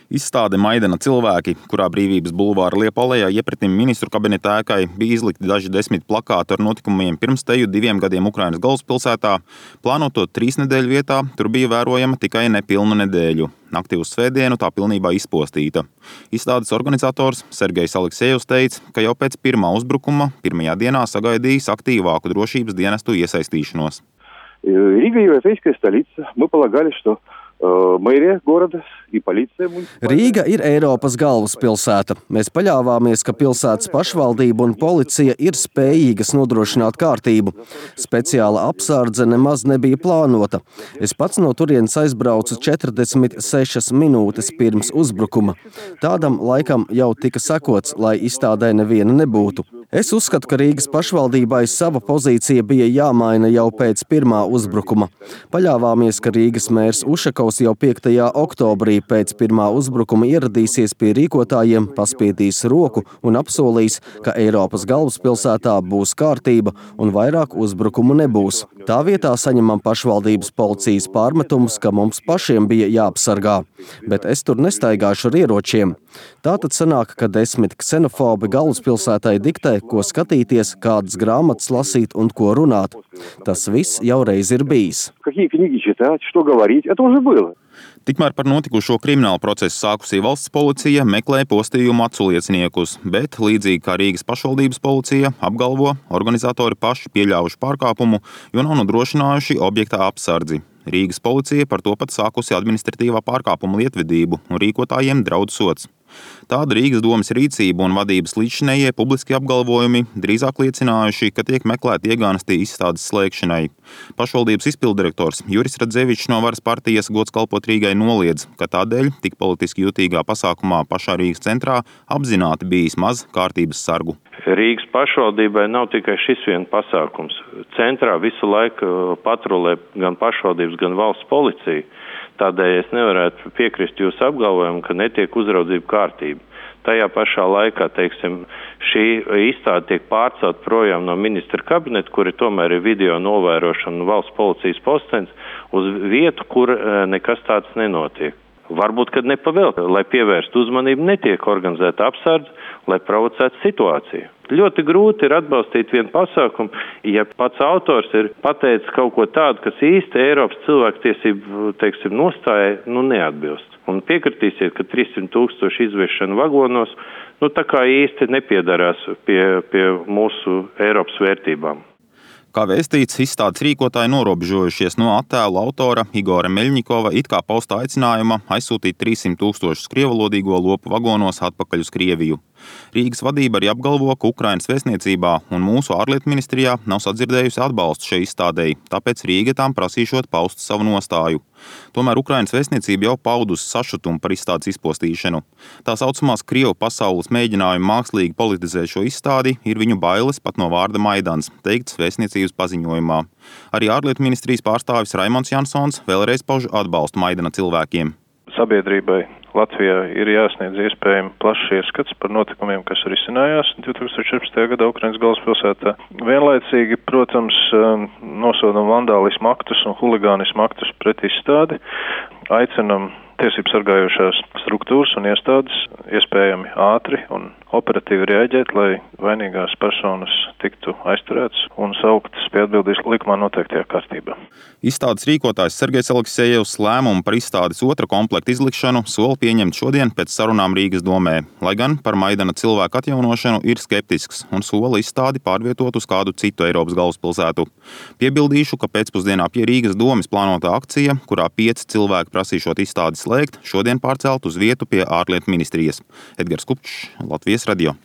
Izstāde Maidana cilvēki, kurā Brīvības bulvāra Liepājā iepratim ministru kabineta ēkai bija izlikti daži desmit plakāti ar notikumiem pirms teju 2 gadiem Ukrainas galvaspilsētā. Plānoto 3 nedēļu vietā tur bija vērojama tikai nepilnu nedēļu. Naktī uz svētdienu tā pilnībā izpostīta. Izstādes organizators Sergejs Aleksejevs teica, ka jau pēc pirmā uzbrukuma pirmajā dienā sagaidījis aktīvāku drošības dienestu iesaistīšanos. Рига – европейская столица. Мы полагали, что mērija goroda un policija. Rīga ir Eiropas galvaspilsēta. Mēs paļāvāmies, ka pilsētas pašvaldība un policija ir spējīgas nodrošināt kārtību. Speciāla apsardze nemaz nebija plānota. Es pats no turienes aizbraucu 46 minūtes pirms uzbrukuma. Tādam laikam jau tika sakots, lai izstādē neviena nebūtu. Es uzskatu, ka Rīgas pašvaldībai sava pozīcija bija jāmaina jau pēc pirmā uzbrukuma. Paļāvāmies, ka Rīgas mērs Ušakovs jau 5. oktobrī pēc pirmā uzbrukuma ieradīsies pie rīkotājiem, paspiedīs roku un apsolīs, ka Eiropas galvaspilsētā būs kārtība un vairāk uzbrukumu nebūs. Tā vietā saņemam pašvaldības policijas pārmetumus, ka mums pašiem bija jāapsargā. Bet es tur nestaigāšu ar ieročiem. Tātad sanāk, ka 10 ksenofobi galvaspilsētai diktē, ko skatīties, kādas grāmatas lasīt un ko runāt. Tas viss jau reiz ir bijis. Tikmēr par notikušo kriminālu procesu sākusī valsts policija meklē postījumu aculieciniekus, bet, līdzīgi kā Rīgas pašvaldības policija, apgalvo, organizatori paši pieļāvuši pārkāpumu, jo nav nodrošinājuši objektā apsardzi. Rīgas policija par to pat sākusi administratīvā pārkāpuma lietvedību un rīkotājiem draud sods. Tāda Rīgas domes rīcība un vadības līdzšinējie publiski apgalvojumi drīzāk liecinājuši, ka tiek meklēti iegānesti izstādes slēgšanai. Pašvaldības izpilddirektors Juris Radzevičs no Varas partijas Gods kalpot Rīgai noliedz, ka tādēļ tik politiski jutīgā pasākumā pašā Rīgas centrā apzināti bijis maz kārtības sargu. Rīgas pašvaldībai nav tikai šis vien pasākums. Centrā visu laiku patrulē gan pašvaldības, gan valsts policija. Tādēļ es nevarētu piekrist jūsu apgalvojumu, ka netiek uzraudzība kārtība. Tajā pašā laikā, šī izstāde tiek pārcelt projām no ministra kabineta, kuri tomēr ir video novērošana un valsts policijas postenis, uz vietu, kur nekas tāds nenotiek. Varbūt, kad nepavēlta, lai pievērstu uzmanību, netiek organizēta apsardze, lai provocētu situāciju. Ļoti grūti ir atbalstīt vienu pasākumu, ja pats autors ir pateicis kaut ko tādu, kas īsti Eiropas cilvēktiesību, nostājai, neatbilst. Un piekritīsiet, ka 300 000 izviešana vagonos, tā kā īsti nepiedarās pie mūsu Eiropas vērtībām. Kā vēstīts, izstādes rīkotāji norobežojušies no attēlu autora Igora Meļņikova it kā pausta aicinājuma aizsūtīt 300 000 krievalodīgo lopu vagonos atpakaļ uz Krieviju. Rīgas vadība arī apgalvo, ka Ukrainas vēstniecībā un mūsu ārlietu ministrijā nav sadzirdējusi atbalstu šai izstādei, tāpēc Rīga tām prasīšot paust savu nostāju. Tomēr Ukrainas vēstniecība jau paudusi sašutumu par izstādes izpostīšanu. Tā saucamās Krievu pasaules mēģinājumi mākslīgi politizēt šo izstādi ir viņu bailes pat no vārda Maidans, teikts vēstniecības paziņojumā. Arī ārlietu ministrijas pārstāvis Raimonds Jansons vēlreiz pauž atbalstu Maidana cilvēkiem. Sabiedrībai Latvijā ir jāsniedz iespējami plašs ieskats par notikumiem, kas risinājās 2014. gadā Ukrainas galvaspilsētā. Vienlaicīgi, protams, nosodam vandālismu aktus un huligānismu aktus pret izstādi. Aicinam tiesību sargājošās struktūras un iestādes iespējami ātri un operatīvi reaģēt, lai vainīgās personas tiktu aizturētas un sauktas pie atbildības likumā noteiktajā kārtībā. Izstādes rīkotājs Sergejs Aleksejevs lēmumu par izstādes otra komplekta izlikšanu soli pieņemt šodien pēc sarunām Rīgas domē, lai gan par Maidana cilvēku atjaunošanu ir skeptisks un sola izstādi pārvietot uz kādu citu Eiropas galvaspilsētu. Piebildīšu, ka pēcpusdienā pie Rīgas domes plānotā akcija, kurā 5 cilvēki prasīšot izstādi slēgt, šodien pārcelt uz vietu pie ārlietu ministrijas. Edgars Kupčs, Latvijas radio.